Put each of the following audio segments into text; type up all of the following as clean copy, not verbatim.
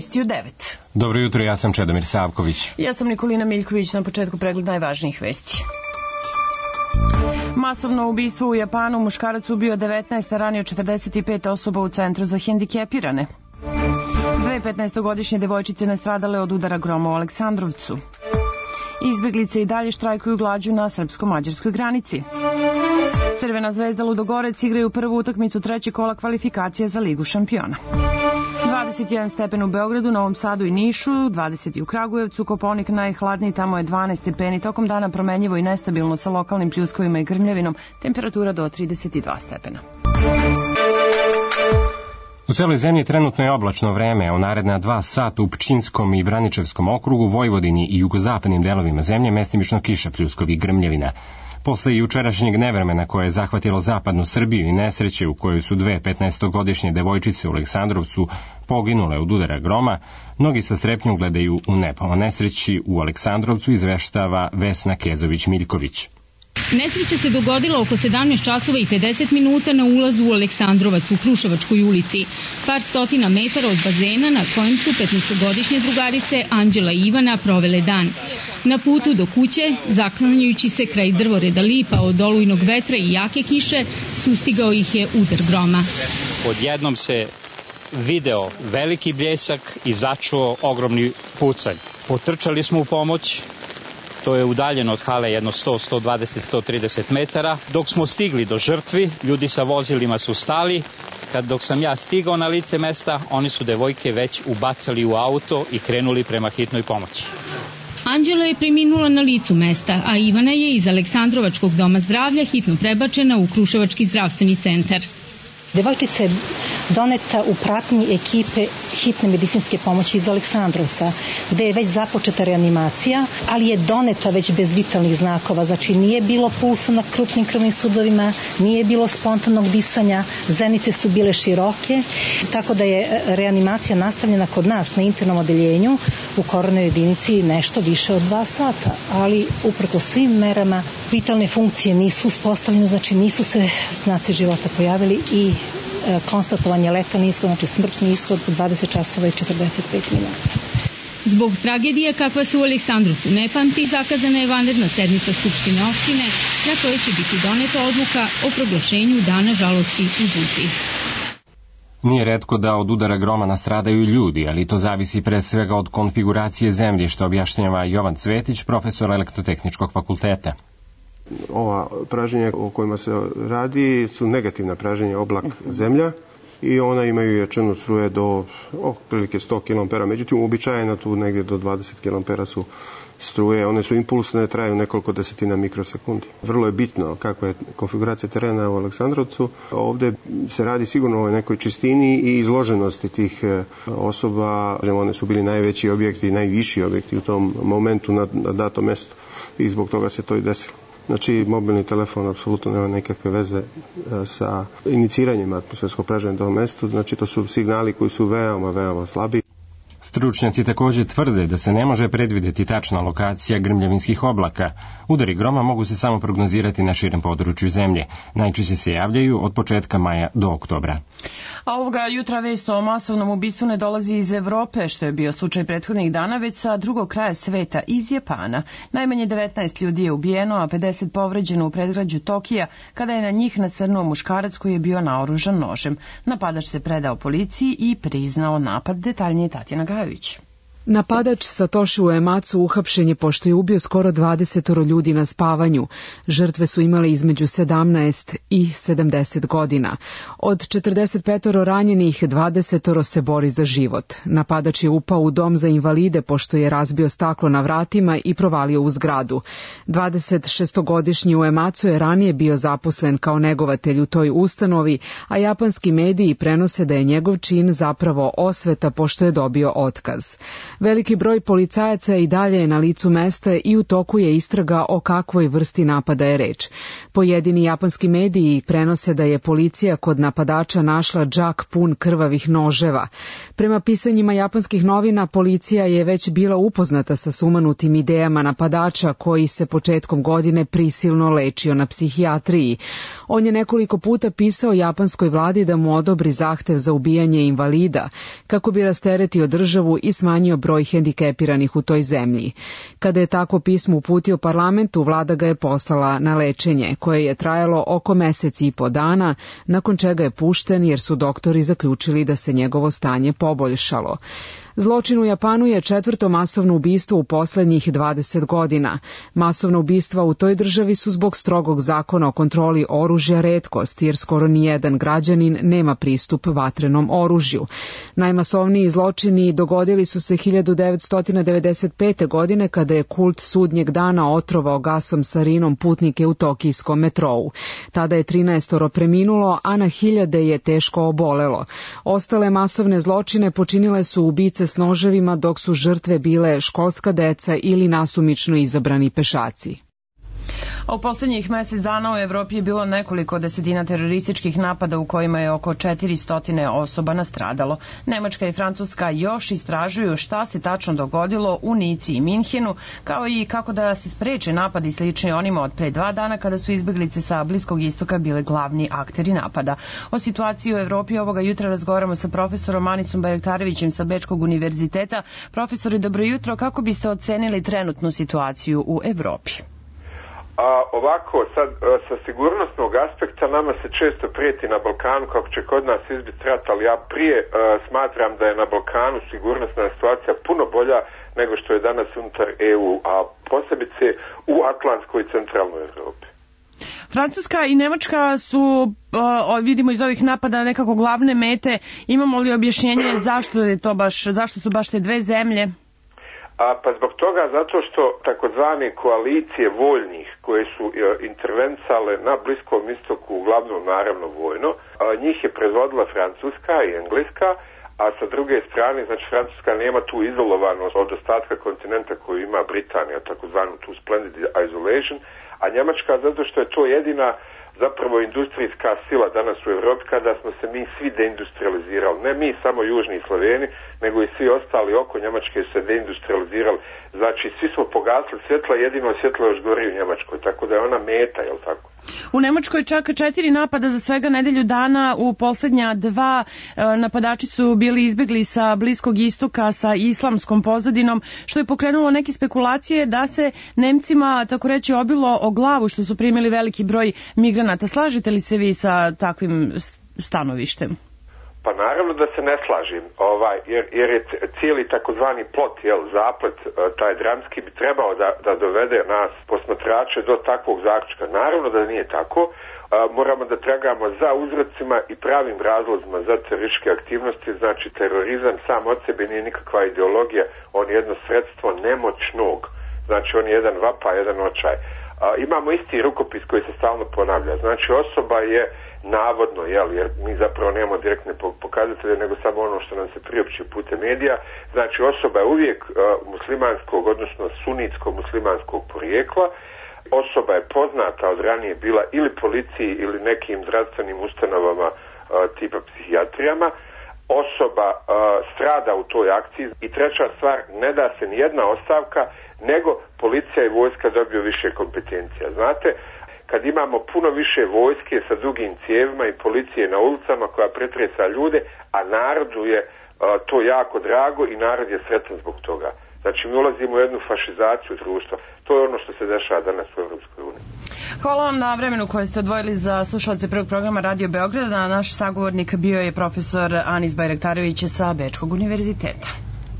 Vesti u 9. Dobro jutro, ja sam Čedomir Savković. Ja sam Nikolina Miljković, na početku pregled najvažnijih vesti. Masovno ubistvo u Japanu, muškarac ubio 19, a ranio 45 osoba u centru za hendikepirane. Dve 15-godišnje devojčice nastradale od udara groma u Aleksandrovcu. Izbeglice i dalje štrajkuju glađu na srpsko-mađarskoj granici. Crvena zvezda Ludogorec igraju prvu utakmicu trećeg kola kvalifikacije za Ligu šampiona. 21 stepen u Beogradu, Novom Sadu i Nišu, 20 u Kragujevcu, Kopaonik najhladniji, tamo je 12 stepeni, tokom dana promenljivo i nestabilno sa lokalnim pljuskovima i grmljavinom, temperatura do 32 stepena. U celoj zemlji trenutno je oblačno vreme, a u naredna 2 sata u Pčinjskom i Braničevskom okrugu, Vojvodini i jugozapadnim delovima zemlje mestimično kiša, pljuskovi i grmljavina. Posle jučerašnjeg nevremena koje je zahvatilo zapadnu Srbiju i nesreće u kojoj su dve 15-godišnje devojčice u Aleksandrovcu poginule od udara groma, mnogi sa strepnjom gledaju u nebo. O nesreći u Aleksandrovcu izveštava Vesna Kezović-Miljković. Nesreća se dogodila oko 17 časova i 50 minuta na ulazu u Aleksandrovac u Kruševačkoj ulici. Par stotina metara od bazena na kojem su 15-godišnje drugarice Anđela i Ivana provele dan. Na putu do kuće, zaklanjajući se kraj drvoreda lipa od olujnog vetra i jake kiše, sustigao ih je udar groma. Odjednom se video veliki bljesak i začuo ogromni pucanj. Potrčali smo u pomoć. To je udaljeno od hale jedno 100, 120, 130 metara. Dok smo stigli do žrtvi, ljudi sa vozilima su stali. Dok sam ja stigao na lice mesta, oni su devojke već ubacali u auto i krenuli prema hitnoj pomoći. Anđela je preminula na licu mesta, a Ivana je iz Aleksandrovačkog doma zdravlja hitno prebačena u Kruševački zdravstveni centar. Devojčica je doneta u pratnji ekipe hitne medicinske pomoći iz Aleksandrovca, gde je već započeta reanimacija, ali je doneta već bez vitalnih znakova, znači nije bilo pulsa na krupnim krvnim sudovima, nije bilo spontanog disanja, zenice su bile široke, tako da je reanimacija nastavljena kod nas na internom odeljenju u koronarnoj jedinici nešto više od 2 sata, ali uprko svim merama vitalne funkcije nisu uspostavljene, znači nisu se znaci života pojavili i konstatovan je letalni ishod, znači smrtni ishod u 20 časova i 45 minuta. Zbog tragedije kakva se u Aleksandrovcu ne pamti, zakazana je vanredna sednica Skupštine opštine na kojoj će biti doneta odluka o proglašenju dana žalosti u Župi. Nije retko da od udara groma nastradaju ljudi, ali to zavisi pre svega od konfiguracije zemljišta, objašnjava Jovan Cvetić, profesor Elektrotehničkog fakulteta. Ova pražnjenja o kojima se radi su negativna pražnjenja, oblak zemlja, i ona imaju jačinu struje do otprilike 100 kA, međutim uobičajeno tu negdje do 20 kA su struje, one su impulsne, traju nekoliko desetina mikrosekundi. Vrlo je bitno kakva je konfiguracija terena u Aleksandrovcu. Ovdje se radi sigurno o nekoj čistini i izloženosti tih osoba. One su bili najveći objekti, najviši objekti u tom momentu na datom mjestu i zbog toga se to i desilo. Znači, mobilni telefon apsolutno nema nekakve veze sa iniciranjem atmosferskog pražnjenja na tom mjestu. Znači, to su signali koji su veoma slabi. Stručnjaci također tvrde da se ne može predvidjeti tačna lokacija grmljavinskih oblaka. Udari groma mogu se samo prognozirati na širem području zemlje. Najčešće se javljaju od početka maja do oktobra. A ovoga jutra vest o masovnom ubistvu ne dolazi iz Evrope, što je bio slučaj prethodnih dana, već sa drugog kraja sveta, iz Japana. Najmanje 19 ljudi je ubijeno, a 50 povređeno u predgrađu Tokija, kada je na njih nasrnuo muškarac koji je bio naoružan nožem. Napadač se predao policiji i priznao napad. Detaljnije Tatjana Gajović. Napadač Satoshi Uematsu uhapšen je pošto je ubio skoro 20 ljudi na spavanju. Žrtve su imale između 17 i 70 godina. Od 45 ranjenih, 20 se bori za život. Napadač je upao u dom za invalide pošto je razbio staklo na vratima i provalio u zgradu. 26-godišnji Uematsu je ranije bio zaposlen kao negovatelj u toj ustanovi, a japanski mediji prenose da je njegov čin zapravo osveta pošto je dobio otkaz. Veliki broj policajaca i dalje je na licu mesta i u toku je istraga o kakvoj vrsti napada je reč. Pojedini japanski mediji prenose da je policija kod napadača našla džak pun krvavih noževa. Prema pisanjima japanskih novina, policija je već bila upoznata sa sumanutim idejama napadača koji se početkom godine prisilno lečio na psihijatriji. On je nekoliko puta pisao japanskoj vladi da mu odobri zahtev za ubijanje invalida, kako bi rasteretio državu i smanjio broj hendikepiranih u toj zemlji. Kada je takvo pismo uputio parlamentu, vlada ga je poslala na lečenje, koje je trajalo oko mesec i po dana, nakon čega je pušten jer su doktori zaključili da se njegovo stanje poboljšalo. Zločin u Japanu je 4. masovno ubistvo u poslednjih 20 godina. Masovna ubistva u toj državi su zbog strogog zakona o kontroli oružja retkost, jer skoro nijedan građanin nema pristup vatrenom oružju. Najmasovniji zločini dogodili su se 1995. godine kada je kult sudnjeg dana otrovao gasom sarinom putnike u tokijskom metrou. Tada je 13 preminulo, a na hiljade je teško obolelo. Ostale masovne zločine počinile su ubice s noževima, dok su žrtve bile školska deca ili nasumično izabrani pešaci. A u poslednjih mesec dana u Evropi je bilo nekoliko desetina terorističkih napada u kojima je oko 400 osoba nastradalo. Nemačka i Francuska još istražuju šta se tačno dogodilo u Nici i Minhenu, kao i kako da se spreče napadi slični onima od pre 2 dana kada su izbeglice sa Bliskog istoka bile glavni akteri napada. O situaciji u Evropi ovoga jutra razgovaramo sa profesorom Anisom Bajraktarevićem sa Bečkog univerziteta. Profesori, dobro jutro, kako biste ocenili trenutnu situaciju u Evropi? Ovako, sad, sa sigurnosnog aspekta nama se često prijeti na Balkanu kako će kod nas izbiti rat, ali ja prije smatram da je na Balkanu sigurnosna situacija puno bolja nego što je danas unutar EU, a posebice u Atlantskoj i centralnoj Evropi. Francuska i Nemačka su, vidimo iz ovih napada, nekako glavne mete. Imamo li objašnjenje zašto su baš te dve zemlje? Pa zbog toga, zato što takozvane koalicije voljnih koje su intervencale na Bliskom istoku, uglavnom naravno vojno, njih je predvodila Francuska i Engleska, a sa druge strane, znači Francuska nema tu izolovanost od ostatka kontinenta koju ima Britanija, takozvanu tu splendid isolation, a Njemačka zato što je to jedina zapravo industrijska sila danas u Evropi kada smo se mi svi deindustrializirali. Ne mi samo južni Sloveni, nego i svi ostali oko Njemačke su se deindustrializirali. Znači svi smo pogasili svjetla, jedino svjetlo još gori u Njemačkoj, tako da je ona meta, jel tako? U Nemačkoj čak 4 napada za svega nedelju dana, u poslednja 2 napadači su bili izbegli sa Bliskog istoka sa islamskom pozadinom, što je pokrenulo neke spekulacije da se Nemcima, tako reći, obilo o glavu što su primili veliki broj migranata. Slažete li se vi sa takvim stanovištem? Pa naravno da se ne slažem, jer je cijeli takozvani plot, zaplet, taj dramski bi trebao da dovede nas posmatrače do takvog zaključka. Naravno da nije tako, moramo da tragamo za uzrocima i pravim razlozima za terorističke aktivnosti, znači terorizam sam od sebe nije nikakva ideologija, on je jedno sredstvo nemoćnog, znači on je jedan vapaj, jedan očaj. Imamo isti rukopis koji se stalno ponavlja, znači osoba je navodno, jer mi zapravo nemamo direktne pokazatelje, nego samo ono što nam se priopći putem medija, znači osoba je uvijek muslimanskog, odnosno sunitsko-muslimanskog porijekla, osoba je poznata od ranije bila ili policiji ili nekim zdravstvenim ustanovama tipa psihijatrijama, osoba strada u toj akciji i treća stvar, ne da se nijedna ostavka, nego policija i vojska dobiju više kompetencija. Znate, kad imamo puno više vojske sa dugim cijevima i policije na ulicama koja pretresa ljude, a narodu je to jako drago i narod je sretan zbog toga. Znači mi ulazimo u jednu fašizaciju društva. To je ono što se dešava danas u Evropskoj uniji. Hvala vam na vremenu koje ste odvojili za slušalce prvog programa Radio Beograda. Naš sagovornik bio je profesor Anis Bajraktarević sa Bečkog univerziteta.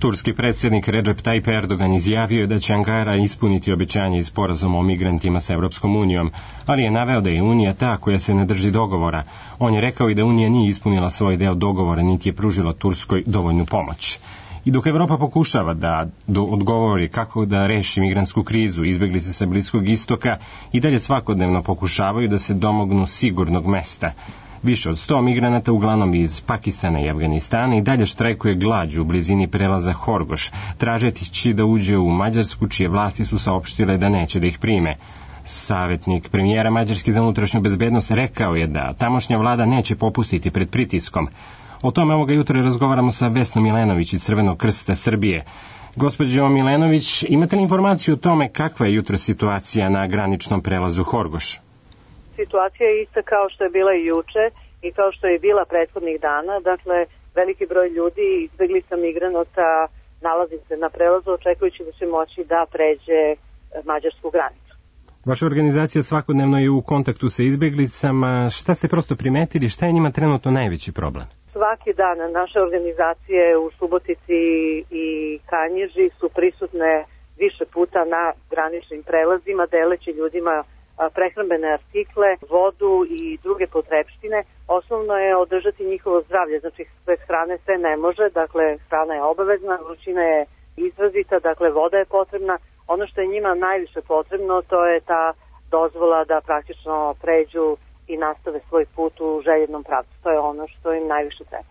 Turski predsjednik Recep Tayyip Erdogan izjavio je da će Ankara ispuniti obećanje iz sporazuma o migrantima sa Evropskom unijom, ali je naveo da je Unija ta koja se ne drži dogovora. On je rekao i da Unija nije ispunila svoj deo dogovora, niti je pružila Turskoj dovoljnu pomoć. I dok Evropa pokušava da odgovori kako da reši migrantsku krizu, izbeglice sa Bliskog istoka i dalje svakodnevno pokušavaju da se domognu sigurnog mesta. Više od 100 migranata, uglavnom iz Pakistana i Afganistana, i dalje štrajkuje glađu u blizini prelaza Horgoš, tražeći da uđe u Mađarsku, čije vlasti su saopštile da neće da ih prime. Savjetnik premijera Mađarske za unutrašnju bezbednost rekao je da tamošnja vlada neće popustiti pred pritiskom. O tome ovoga jutra razgovaramo sa Vesnom Milenović iz Crvenog krsta Srbije. Gospođo Milenović, imate li informaciju o tome kakva je jutro situacija na graničnom prelazu Horgoš? Situacija je ista kao što je bila i juče i kao što je bila prethodnih dana. Dakle, veliki broj ljudi, izbeglica migranata, nalazi se na prelazu očekujući da će moći da pređe mađarsku granicu. Vaša organizacija svakodnevno je u kontaktu sa izbeglicama. Šta ste prosto primetili? Šta je njima trenutno najveći problem? Svaki dan naše organizacije u Subotici i Kanjiži su prisutne više puta na graničnim prelazima, deleći ljudima prehrambene artikle, vodu i druge potrepštine. Osnovno je održati njihovo zdravlje, znači bez hrane sve ne može, dakle hrana je obavezna, vrućina je izrazita, dakle voda je potrebna. Ono što je njima najviše potrebno, to je ta dozvola da praktično pređu i nastave svoj put u željenom pravcu. To je ono što im najviše treba.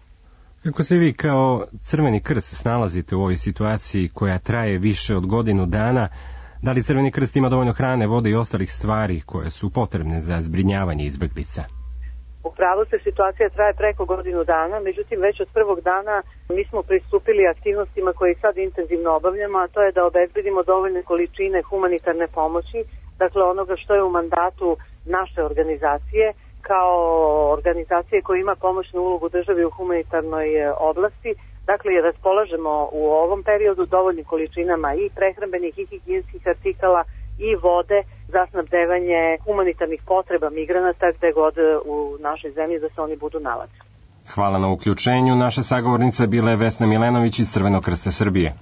Kako se vi kao Crveni krst snalazite u ovoj situaciji koja traje više od godinu dana? Da li Crveni krst ima dovoljno hrane, vode i ostalih stvari koje su potrebne za zbrinjavanje izbeglica? Upravo se situacija traje preko godinu dana, međutim već od prvog dana mi smo pristupili aktivnostima koje sad intenzivno obavljamo, a to je da obezbedimo dovoljne količine humanitarne pomoći, dakle onoga što je u mandatu naše organizacije, kao organizacije koja ima pomoćnu ulogu državi u humanitarnoj oblasti. Dakle, raspolažemo u ovom periodu dovoljnim količinama i prehrambenih i higijenskih artikala i vode za snabdevanje humanitarnih potreba migranata gde god u našoj zemlji da se oni budu nalazili. Hvala na uključenju. Naša sagovornica bila je Vesna Milenović iz Crvenog krsta Srbije.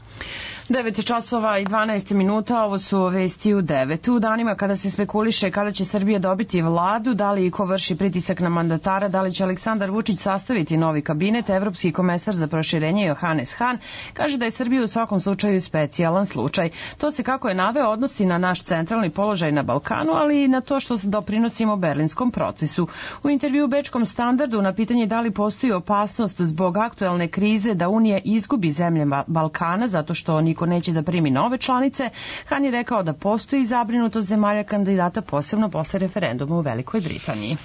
9 časova i 12 minuta, ovo su vesti u 9. U danima kada se spekuliše kada će Srbija dobiti vladu, da li i ko vrši pritisak na mandatara, da li će Aleksandar Vučić sastaviti novi kabinet, evropski komesar za proširenje Johannes Hahn kaže da je Srbija u svakom slučaju specijalan slučaj. To se, kako je naveo, odnosi na naš centralni položaj na Balkanu, ali i na to što doprinosimo berlinskom procesu. U intervju u Bečkom standardu na pitanje da li postoji opasnost zbog aktuelne krize da Unija izgubi zemlje Balkana zato što niko neće da primi nove članice, Han je rekao da postoji zabrinutost zemalja kandidata, posebno posle referenduma u Velikoj Britaniji.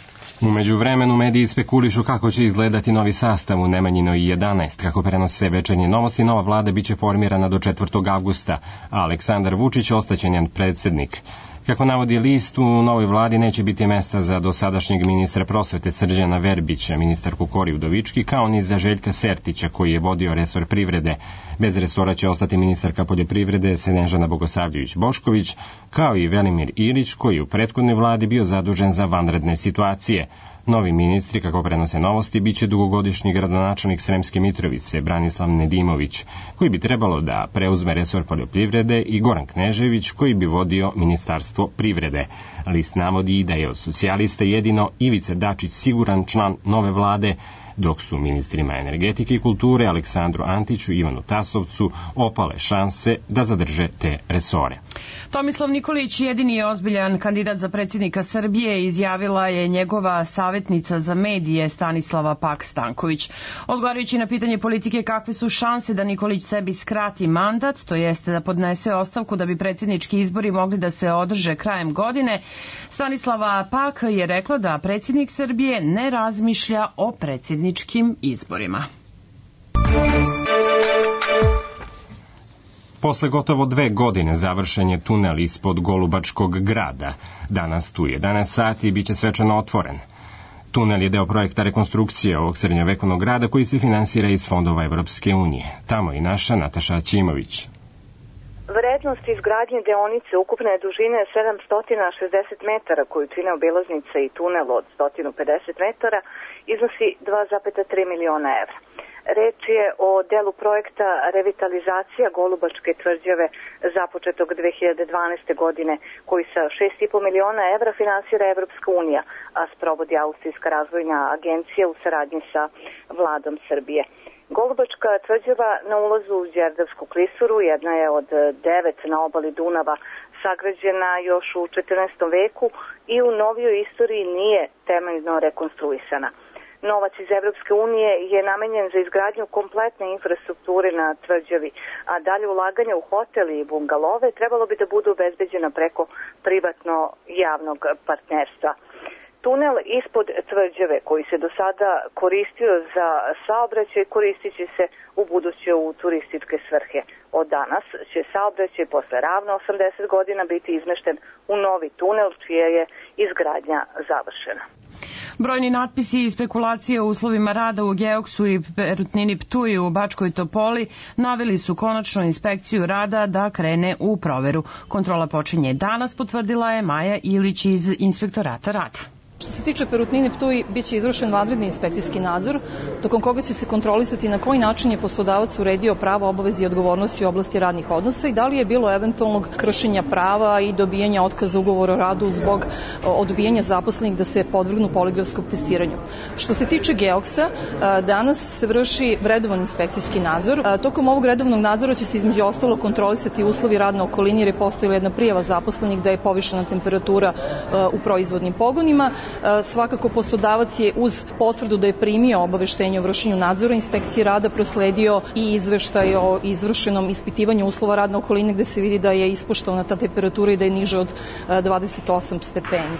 U međuvremenu mediji spekulišu kako će izgledati novi sastav u Nemanjinoj 11. Kako prenose Večernje novosti, nova vlada biće formirana do 4. avgusta, a Aleksandar Vučić ostaće njen predsjednik. Kako navodi list, u novoj vladi neće biti mesta za dosadašnjeg ministra prosvete Srđana Verbića, ministarku Kori Udovički, kao ni za Željka Sertića, koji je vodio resor privrede. Bez resora će ostati ministarka poljoprivrede Snežana Bogosavljević-Bošković, kao i Velimir Ilić, koji je u prethodnoj vladi bio zadužen za vanredne situacije. Novi ministri, kako prenose novosti, biće dugogodišnji gradonačelnik Sremske Mitrovice, Branislav Nedimović, koji bi trebalo da preuzme resor poljoprivrede, i Goran Knežević, koji bi vodio ministarstvo privrede. List navodi da je od socijalista jedino Ivica Dačić siguran član nove vlade, dok su ministrima energetike i kulture Aleksandru Antiću i Ivanu Tasovcu opale šanse da zadrže te resore. Tomislav Nikolić, jedini je ozbiljan kandidat za predsjednika Srbije, izjavila je njegova savjetnica za medije Stanislava Pak-Stanković. Odgovarajući na pitanje politike kakve su šanse da Nikolić sebi skrati mandat, to jeste da podnese ostavku da bi predsjednički izbori mogli da se održe krajem godine, Stanislava Pak je rekla da predsjednik Srbije ne razmišlja o predsjedničkim izborima. Posle gotovo 2 godine završen je tunel ispod Golubačkog grada. Danas tu 11 sati bit će svečano otvoren. Tunel je deo projekta rekonstrukcije ovog srednjovekovnog grada koji se finansira iz fondova Evropske unije. Tamo i naša Nataša Ćimović. Vrednost izgradnje deonice ukupne dužine 760 metara koju čine obilaznica i tunel od 150 metara iznosi 2,3 miliona evra. Reč je o delu projekta revitalizacija Golubačke tvrđave započetog 2012. godine koji sa 6,5 miliona evra finansira Evropska unija, a sprovodi Austrijska razvojna agencija u saradnji sa vladom Srbije. Golubačka tvrđava na ulazu u Đerdapsku klisuru jedna je od 9 na obali Dunava, sagrađena još u 14. veku i u novijoj istoriji nije temeljno rekonstruisana. Novac iz Evropske unije je namenjen za izgradnju kompletne infrastrukture na tvrđavi, a dalje ulaganje u hotel i bungalove trebalo bi da budu obezbeđena preko privatno-javnog partnerstva. Tunel ispod tvrđave koji se do sada koristio za saobraćaj koristit će se u buduće u turističke svrhe. Od danas će saobraćaj posle ravno 80 godina biti izmešten u novi tunel čija je izgradnja završena. Brojni natpisi i spekulacije o uslovima rada u Geoksu i Perutnini Ptuj u Bačkoj Topoli naveli su konačno inspekciju rada da krene u proveru. Kontrola počinje danas, potvrdila je Maja Ilić iz Inspektorata rada. Što se tiče Perutnine Ptuj, biće izvršen vanredni inspekcijski nadzor, tokom koga će se kontrolisati na koji način je poslodavac uredio prava, obaveze i odgovornosti u oblasti radnih odnosa i da li je bilo eventualnog kršenja prava i dobijanja otkaza ugovora o radu zbog odbijanja zaposlenih da se podvrgnu poligrafskom testiranju. Što se tiče Geoksa, danas se vrši redovan inspekcijski nadzor. Tokom ovog redovnog nadzora će se između ostalo kontrolisati uslovi rad na okolini jer je postojala jedna prijava zaposlenih da je povišena temperatura u proizvodnim pogonima. Svakako poslodavac je uz potvrdu da je primio obaveštenje o vršenju nadzora inspekcije rada prosledio i izveštaj o izvršenom ispitivanju uslova radne okoline gde se vidi da je ispoštovana ta temperatura i da je niže od 28 stepeni.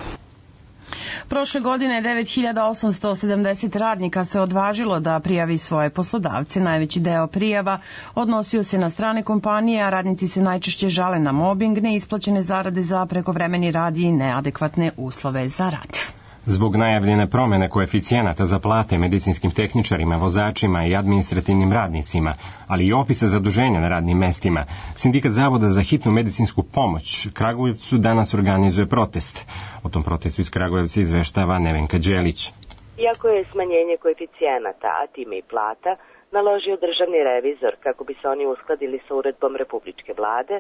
Prošle godine 9870 radnika se odvažilo da prijavi svoje poslodavce. Najveći deo prijava odnosio se na strane kompanije, a radnici se najčešće žale na mobing, neisplaćene zarade za prekovremeni rad i neadekvatne uslove za rad. Zbog najavljene promene koeficijenata za plate medicinskim tehničarima, vozačima i administrativnim radnicima, ali i opisa zaduženja na radnim mestima, Sindikat Zavoda za hitnu medicinsku pomoć Kragujevcu danas organizuje protest. O tom protestu iz Kragujevca izveštava Nevenka Đelić. Iako je smanjenje koeficijenata, a time i plata, naložio državni revizor kako bi se oni uskladili sa uredbom Republičke vlade,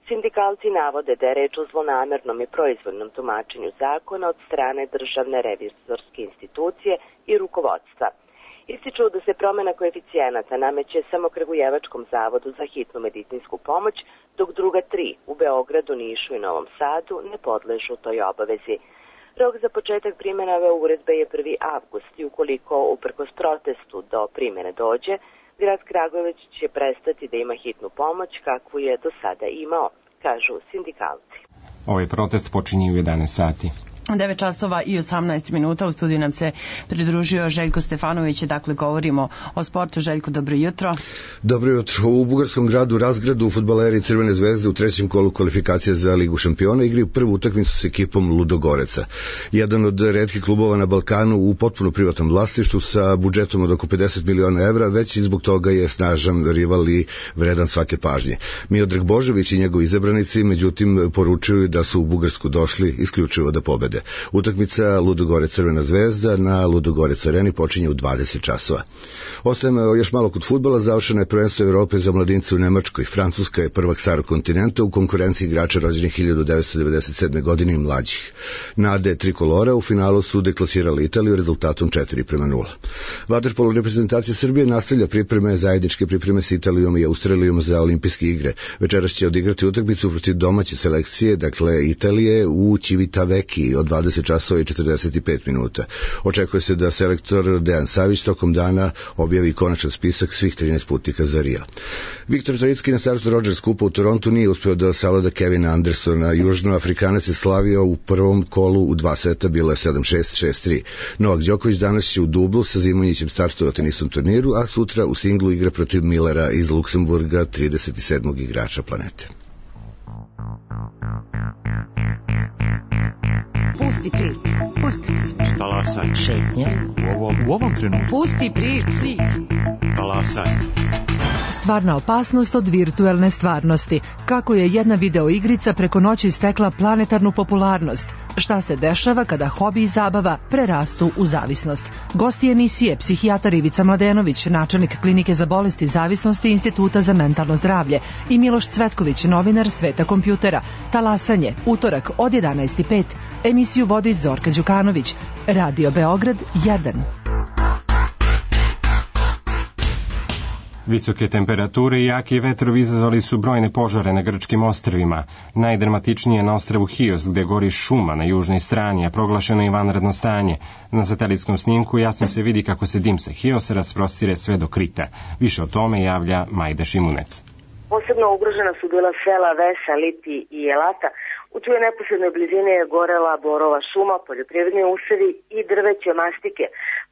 sindikalci navode da je reč o zlonamernom i proizvoljnom tumačenju zakona od strane državne revizorske institucije i rukovodstva. Ističu da se promena koeficijenata nameće samo Kragujevačkom zavodu za hitnu medicinsku pomoć, dok druga 3 u Beogradu, Nišu i Novom Sadu ne podležu toj obavezi. Rok za početak primjene ove uredbe je 1. avgust i ukoliko uprkos protestu do primjene dođe, grad Kragujevac će prestati da ima hitnu pomoć kakvu je do sada imao, kažu sindikalci. Ovaj protest počinje u 11 sati. 9 časova i 18 minuta. U studiju nam se pridružio Željko Stefanović. Dakle, govorimo o sportu. Željko, dobro jutro. Dobro jutro. U bugarskom gradu Razgradu fudbaleri Crvene zvezde u trećem kolu kvalifikacija za Ligu šampiona igraju prvu utakmicu s ekipom Ludogoreca. Jedan od retkih klubova na Balkanu u potpuno privatnom vlasništvu sa budžetom od oko 50 miliona evra, već i zbog toga je snažan rival i vredan svake pažnje. Miodrag Božović i njegovi izabranici, međutim, poručuju da su u Bugarsku došli isključivo da pobede. Utakmica Ludogorec Crvena zvezda na Ludogorec areni počinje u 20 časova. Ostajemo još malo kod fudbala. Završeno je prvenstvo Evrope za mladince u Nemačkoj. Francuska je prvak starog kontinenta u konkurenciji igrača rođenih 1997. godine i mlađih. Nade trikolora u finalu su deklasirali Italiju rezultatom 4:0. Vaterpolo reprezentacija Srbije nastavlja zajedničke pripreme s Italijom i Australijom za olimpijske igre. Večeras će odigrati utakmicu protiv domaće selekcije, dakle Italije, u Civitavecchi od 20 časova i 45 minuta. Očekuje se da selektor Dejan Savić tokom dana objavi konačan spisak svih 13 putnika za Rio. Viktor Trojicki na startu Rogers Kupa u Torontu nije uspeo da savlada Kevina Andersona. Južnoafrikanac je slavio u prvom kolu u 2 seta, bilo je 7-6, 6-3. Novak Đoković danas će u dublu sa Zimonjićem startovati na istom turniru, a sutra u singlu igra protiv Millera iz Luksemburga, 37. igrača planete. Pusti priču. Pusti priču. Talasaj. Šetnja. U ovom trenutku. Pusti priču. Talasaj. Stvarna opasnost od virtuelne stvarnosti. Kako je jedna videoigrica preko noći stekla planetarnu popularnost? Šta se dešava kada hobi i zabava prerastu u zavisnost? Gosti emisije psihijatar Ivica Mladenović, načelnik klinike za bolesti zavisnosti Instituta za mentalno zdravlje, i Miloš Cvetković, novinar Sveta kompjutera. Talasanje, utorak od 11:05. Emisiju vodi Zorka Đukanović. Radio Beograd 1. Visoke temperature i jaki vetrovi izazvali su brojne požare na grčkim ostrvima. Najdramatičnije na ostrvu Hios, gde gori šuma na južnoj strani, a proglašeno je vanredno stanje. Na satelitskom snimku jasno se vidi kako se dim sa Hiosa rasprostire sve do Krita. Više o tome javlja Majda Šimunec. Posebno ugrožena su bila sela Vesa, Lipi i Elata, u čijoj neposrednoj blizini je gorela borova šuma, poljoprivredni usevi i drveće mastike,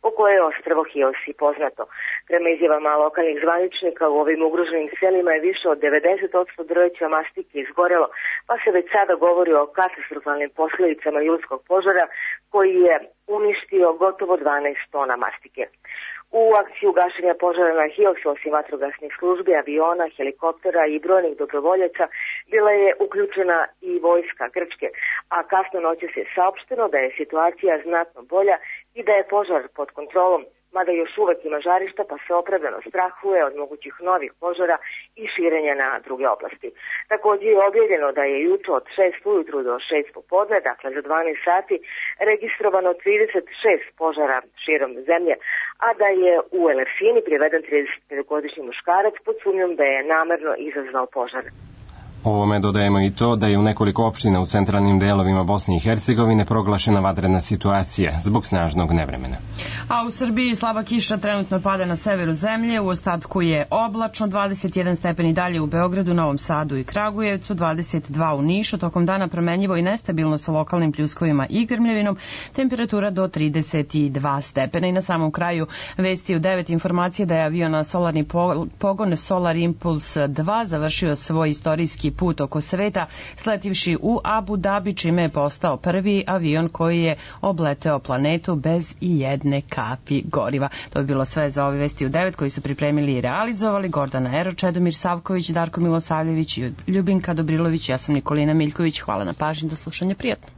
po koje je ostrvo Hios i poznato. Prema izjavama lokalnih zvaničnika, u ovim ugroženim selima je više od 90% drveća mastike izgorelo, pa se već sada govori o katastrofalnim posledicama julskog požara koji je uništio gotovo 12 tona mastike. U akciju gašenja požara na Hiosu, osim vatrogasnih službi, aviona, helikoptera i brojnih dobrovoljaca, bila je uključena i vojska Grčke, a kasno noćas je saopšteno da je situacija znatno bolja i da je požar pod kontrolom, mada još uvek ima žarišta, pa se opravdano strahuje od mogućih novih požara i širenja na druge oblasti. Takođe je objavljeno da je juče od 6 ujutru do 6 popodne, dakle za 12 sati, registrovano 36 požara širom zemlje, a da je u Elersini priveden 35-godišnji muškarac pod sumnjom da je namerno izazvao požar. Ovome dodajemo i to da je u nekoliko opština u centralnim delovima Bosne i Hercegovine proglašena vanredna situacija zbog snažnog nevremena. A u Srbiji slaba kiša trenutno pada na severu zemlje, u ostatku je oblačno, 21 stepeni dalje u Beogradu, Novom Sadu i Kragujevcu, 22 u Nišu, tokom dana promenljivo i nestabilno sa lokalnim pljuskovima i grmljavinom, temperatura do 32 stepena. I na samom kraju vesti u 9 informacije da je avion na solarni pogon Solar Impulse 2 završio svoj istorijski put oko sveta, sletivši u Abu Dhabi, čime je postao prvi avion koji je obleteo planetu bez i jedne kapi goriva. To je bilo sve za ove vesti u 9 koji su pripremili i realizovali Gordana Ero, Čedomir Savković, Darko Milosavljević i Ljubinka Dobrilović. Ja sam Nikolina Miljković. Hvala na pažnji, do slušanja, prijatno.